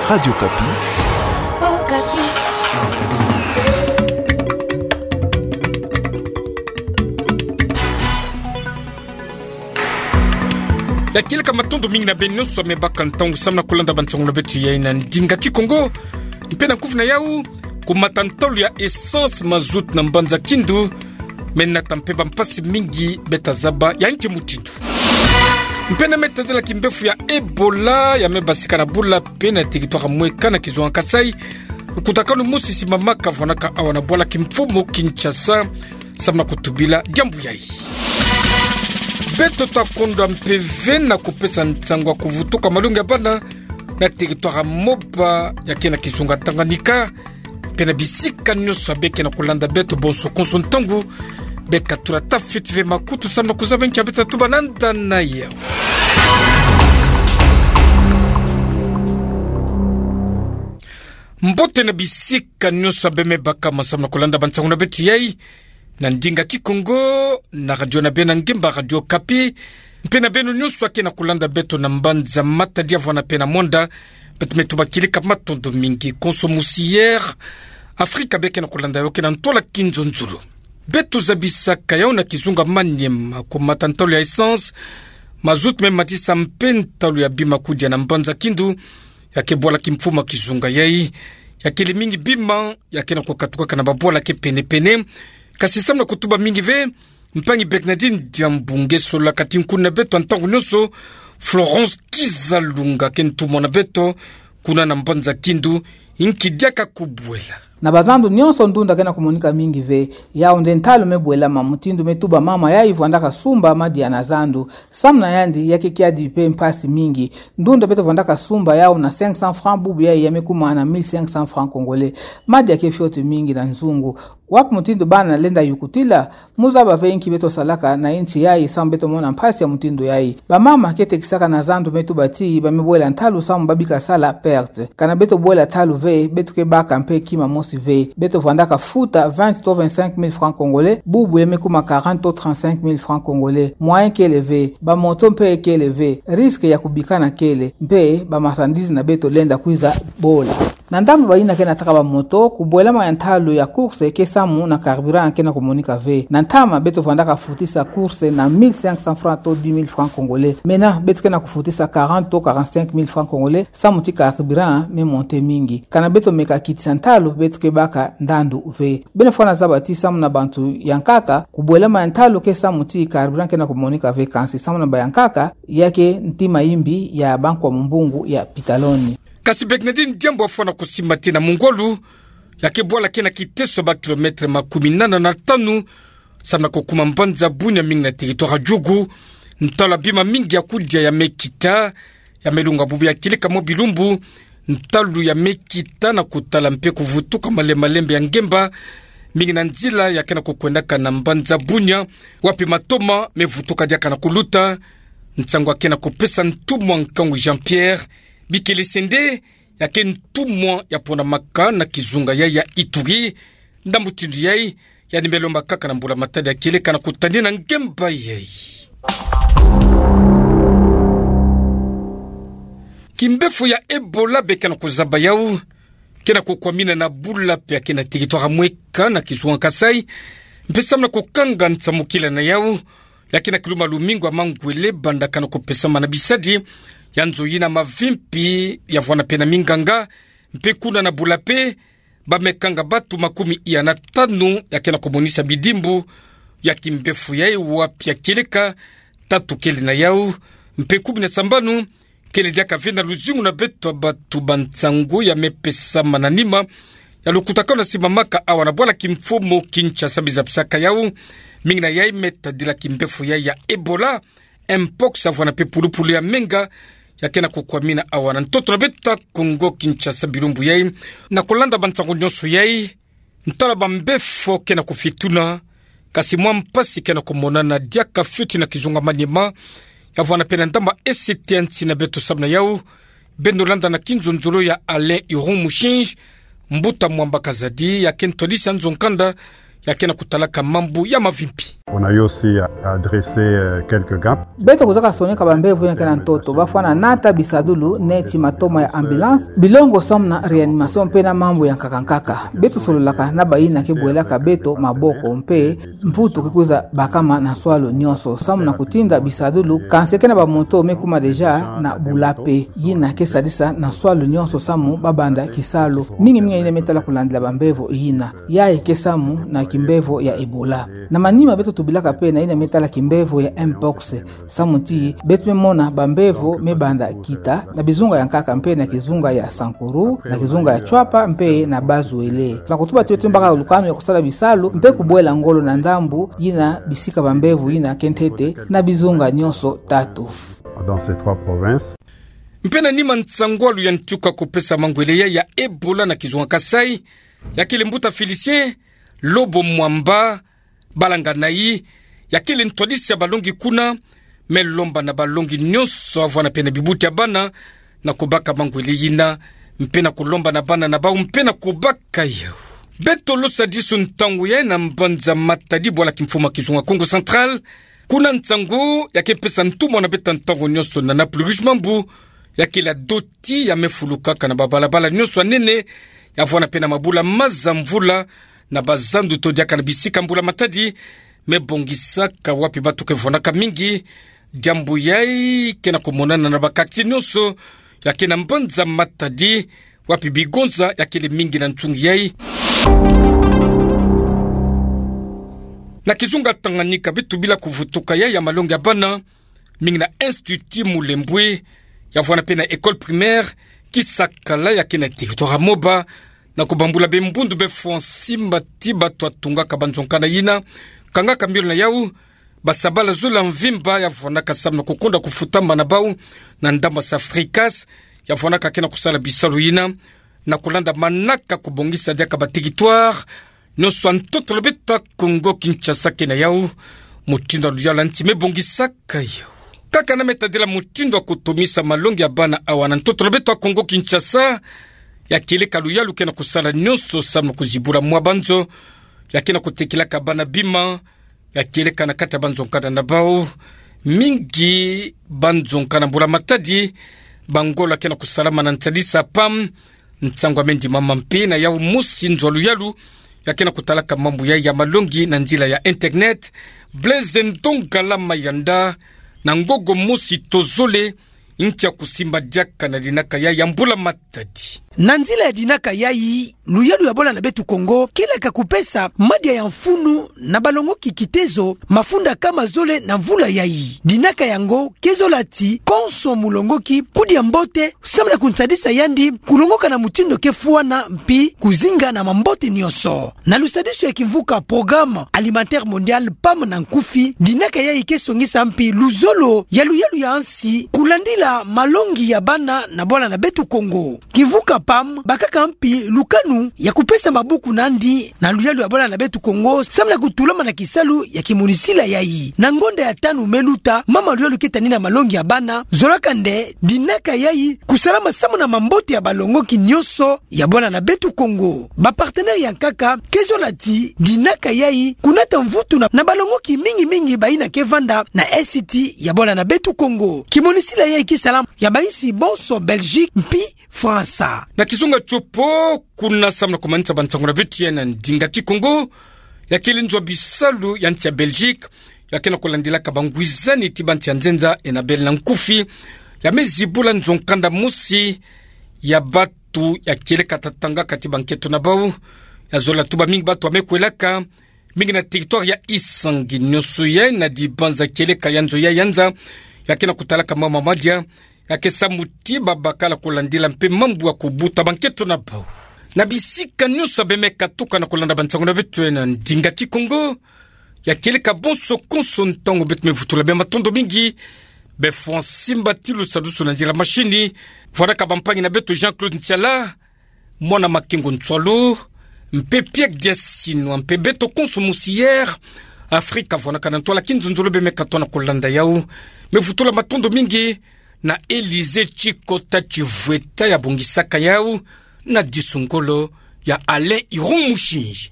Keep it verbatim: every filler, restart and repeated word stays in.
Radio Okapi. Okapi. Ya kieleka matondo mingi na beno nyonso amebaka ntangu samu na kulanda bansangu na beto yai na ndinga Kikongo. Mpe na kufi na yau, kumata ntalu ya essence, mazout na mbanza Kindu, me nata mpe bampasi mingi beta zaba ya nki mutindu. Mpe na me tadila kimbefu ya Ebola ya mebasika na bula mpe na territoire ya mweka na kizunga Kasaï, lukutakanu mosi simamaka vwanaka awa na bwala kimfumu Kinshasa, samu na kutubila diambu yai. Beto ta kondwa mpe ve na kupesa nsangu ya kuvutuka malongi ya bana na territoire ya Moba ya ke na kizunga Tanganyika, mpe na bisika nyonso ya beke na kulanda beto bonso konso ntangu, beka tula ta fioti ve makutu samu na kuzaba nki ya beta tuba na nda na yau. Mbote na bisika nyonso ya bemebaka ma samu na kulanda bansangu na beto yai na ndinga Kikongo, na radio na beno ya ngemba, Radio Okapi, mpe na beno nyonso ya ke na kulanda beto na mbanza Matadi ya vwana mpe na mwanda, beto me tuba kieleka matondo mingi. Konso musi Air Afrika beke na kulanda yo ke na ntwala kinzonzolo. Beto zabisaka yau na kizunga Maniema, kumata ntalu ya essence, mazout me matisa mpe ntalu ya bima kudia na mbanza Kindu, ya ke bwala kimfumu ya kizunga yai. Ya kele mingi bima ya ke na kukatukaka na babwala ke pene-pene. Kasi samu na kutuba mingi ve, mpangi Bernardine Diambu nge sola kati nkuna na beto ya ntangu nyonso, Florence Kizalunga, ke ntumwa na beto kuna na mbanza Kindu, nki diaka kubwela. Na bazandu nyonso ndunda ke na kumonika mingi ve. Yau nde ntalu me bwelama, mutindu me tuba mama yai vwandaka sumba madia na zandu. Samu na yandi, ya ke kiadi mpe mpasi mingi. Ndunda beto vwandaka sumba yau na cinq cents francs, bubu yai ya me kuma na mille cinq cents francs congolais. Madia ke fioti mingi na nzungu. Wapi mutindu bana lenda yukutila? Muzaba ve nki beto salaka na insi yai samu beto mona mpasi ya mutindu yai. Bamama ke tekisaka na zandu me tuba ti ba me bwela ntalu samu ba bika sala perte. Kana beto bwela ntalu ve, beto ke baka mpe kima mosi ve. Beto vwandaka futa vingt to vingt-cinq mille francs congolais, bubu ya me kuma quarante to trente-cinq mille francs congolais. Moyen kele ve, bamoto mpe kele ve, risque ya kubikana kele, mpe ba marchandises na beto lenda kwiza bola. Na ndambu bayina ke nataka bamoto, kubwelama ya ntalu ya course ke samu na carburant ke na kumonika ve. Na ntama beto vwandaka futisa course na mille cinq cents francs to dix mille francs congolais. Mena beto ke na kufutisa quarante to quarante-cinq mille francs congolais, samu ti carburant me monter mingi. Kana beto meka kitisa ntalu, beto ke baka ndandu ve. Beno fwana zaba ti samu na bantu ya nkaka, kubwelama ya ntalu ke samu ti carburant ke na kumonika ve, kansi samu na bayankaka, ya ke ntima yimbi ya bankwa mumbungu ya pitaloni. Kasi Bernardine Diambu afwana kusimba ti na mungwa lu, ya ke bwala ke na kiteso ba kilomètre makumi nana na tanu, samu na kukuma mbanza Bunia mingi na territoire ya Djugu, ntalu ya bima mingi ya kudia ya me kita, ya me lunga bubu ya kieleka mwa bilumbu, ntalu ya me kita na kutala mpe kuvutuka male-, malembe ya ngemba, mingi na nzila ya ke na kukwendaka na mbanza Bunia, wapi matoma me vutuka diaka na kuluta, nsangu ya ke na kupesa ntumwa nkangu Jean-Pierre Bikelesende, ya ke ntumwa ya ponamaka na kizunga yai ya Ituri. Ndambu mutindu yai, yandi me lomba kaka na mbula matadi ya kieleka na kutadina ngemba yai. Kimbefu ya Ebola beka na kuzaba yau, ke na kukwamina na bula mpe ya ke na territoire ya mweka na kizunga Kasaï, mpe samu na kukanga nsamukila na yau, ya ke na kiluma lumingu ya mangwele banda kana kupesama na bisadi ya nzo yina mavimpi ya vwana mpe na minganga, mpe kuna na bula mpe, ba me kanga batu makumi iya na tanu ya ke na kumonisa bidimbu ya kimbefu yai, wapi ya kieleka tatu kele na yau, mpe kumi na sambanu kele diaka ve na luzingu na beto. Batu ba nsangu ya me pesama na nima ya lukutakanu ya simamaka awa na bwala kimfumu Kinshasa bizapisaka yau, mingi na yai me tadila kimbefu yai ya Ebola, Mpox, ya vwana mpe pulupulu ya menga, ya ke na kukwamina awa na ntoto na beto ya Kongo Kinshasa bilumbu yai. Na kulanda bansangu nyonso yai, ntalu ya bambefo ke na kufituna, kasi mwa mpasi ke na kumonana diaka fioti na kizunga Maniema, ya vwana mpe na ndamba E C T ya nsi na beto. Samu na yau, beno landa na kinzonzolo ya Alain Iron Mushinji, mbuta Mwamba Kazadi, ya ke ntwadisi ya nzo-nkanda, ya ke na kutalaka mambu ya mavimpi. On a eu aussi, euh, dressé, euh, quelques gants. Beto kuzaka soneka bambevo yina ke na ntoto, bafwana nata bisadulu neti matoma ya ambulance, bilongo samu na réanimation mpe na mambu ya nkaka nkaka. Beto sololaka na bayina ke bwelaka beto maboko mpe mvutu ke kwiza bakama na nswalu nyonso, samu na kutinda bisadulu, kansi ke na bamoto me kuma déjà na bula mpe. Yina ke sadisa na nswalu nyonso samu babanda kisalu. Mingi mingi yina me tala kulandila bambevo yina. Yayi ke samu na kimbevo ya Ebola. Na manima beto tubilaka mpe na yina me tala kimbevo ya Mpox. Samu ti beto me mona bambevo me banda kita na bizunga ya nkaka mpe na kizunga ya Sankuru, na kizunga ya Tshuapa mpe na Bas-Uele. Tuna kutuba ti beto me baka lukanu ya kusala bisalu mpe kubwela ngolo na ndambu yina bisika bambevo yina ke ntete na bizunga nyonso tatu. Dans ces trois provinces. Mpe na nima nsangwalu ya ntuka kupesa mangwele ya, ya Ebola na kizunga Kasaï, ya kele mbuta Félicien Lobo Mwamba, balanga na yi, ya kele ntwadisi ya balongi kuna, me lomba na balongi nyonso, avwana mpe na bibuti ya bana, na kubaka mangwele yina, mpe na kulomba na bana na bau, mpe na kubaka yau. Beto losadisa ntangu ya na mbanza Matadi, bwala kimfumu ya kizunga Kongo Central, kuna nsangu ya ke pesa ntumwa na beto ntangu nyonso na Napulugis Mambu, ya kele doti ya me fulukaka na babalabala nyonso ya nene, ya vwanda mpe na mabula maza mvula, na bazandu to diaka na bisika mbula matadi me bongisaka, wapi bato ke vwandaka mingi. Diambu yayi ke na kumonana na ba quartier nyonso ya ke na mbanza Matadi, wapi bigonza ya kele mingi na ntungi yayi. Na kizunga Tanganyika, beto bila kuvutuka yayi ya malongi ya bana, mingi na Institut Mulembwe, ya vwanda mpe na école primaire Kisakala ya ke na territoire ya Moba, na kubambula bimbundu bifwa nsimba ti bato ya tungaka banzonkanda yina, kangaka mbiolo na yau basabala zole ya mvimba, ya vwandaka samu na kukonda kufutama na bau na ndambu ya Safricas, ya vwandaka ke na kusala bisalu yina, na kulanda manaka kubongisa diaka ba territoire nyonso ya ntoto na beto ya Kongo Kinshasa ke na yau, mutindu ya luyalu ya nsi me bongisaka yau. Kaka na me tadila mutindu ya kutomisa malongi ya bana awa na ntoto na beto ya Kongo Kinshasa, ya kieleka luyalu ke na kusala nyonso samu na kuzibula mwa banzo ya ke na kutekelaka bana bima, ya kieleka na kati ya banzonkanda na bau. Mingi banzonkanda mbula matadi, bangolo ya ke na kusalama na nsadisa PAM. Nsangu ya me ndimama mpe na yau mosi nzo ya luyalu ya ke na kutalaka mambu yayi ya malongi na nzila ya internet, Blaise Ndongala Mayanda, na ngogo mosi to zole, ntia kusimba diaka na dinaka yayi ya mbula matadi. Na nzila ya dinaka yayi, luyalu ya bwala na beto Kongo ke laka kupesa madia ya mfunu na balongoki kitezo mafunda kama zole na mvula yayi. Dinaka yango ke zola ti konso mulongoki kudia mbote, samu na kunsadisa yandi kulongoka na mutindu ke fwana, mpi kuzinga na mambote nyonso. Na lusadisu ya kimvuka Programme Alimentaire Mondial, PAM na nkufi, dinaka yayi ke songisa mpi luzolo ya luyalu ya nsi kulandila malongi ya bana na bwala na beto Kongo. Kimvuka PAM bakaka mpi lukanu ya kupesa mabuku na yandi na luyalu ya bwala na beto Kongo, samu na kutulama na kisalu ya kimonisila yayi. Na ngonda ya tanu me luta, mama luyalu ke tani na malongi ya bana zolaka nde dinaka yayi kusalama samu na mambote ya balongoki nyonso ya bwala na beto Kongo. Ba partenaire ya nkaka ke zola ti dinaka yayi kunata mvutu na, na balongoki mingi mingi bayina ke vanda na Est ya bwala na beto Kongo. Kimonisila yayi ke salama ya bansi bonso, Belgique mpi Fransa. Na kizunga Tshopo, kuna samu na kumanisa bansangu na beto ya na ndinga Kikongo, ya kele nzo ya bisalu ya nsi ya Belgique ya ke na kulandilaka bangwizani ti bansi ya nzenza, Enabel na nkufi, ya me zibula nzonkanda mosi ya bato ya kieleka tatanga kati banketo na bau. Ya zola tuba mingi bato ya me kwelaka, mingi na territoire ya Isangi. Nyonso yayi na dibanza kieleka ya nzo ya yanza ya ke na kutalaka mama madia ya ke samu ti babakala kulandila mpe mambu ya kubuta banketo na bau. Na bisika nyonso ya be me katuka na kulanda bansangu na beto ya na ndinga Kikongo, ya kieleka bonso konso ntangu, beto me vutula be matondo mingi. Bifwa nsimba ti lusadusu na nzila mashini, vwandaka bampangi na beto Jean-Claude Ntiala, mwana Makengo Ntswalu, mpe Pierre Diasinwa, mpe beto konso musi Air Afrique vwandaka na ntwala kinzonzolo be me katuka na kulanda yau. Me vutula matondo mingi na Élysée Tshikota Tshivweta ya bongisaka yau, na disungolo ya Alain Iron Mushinji.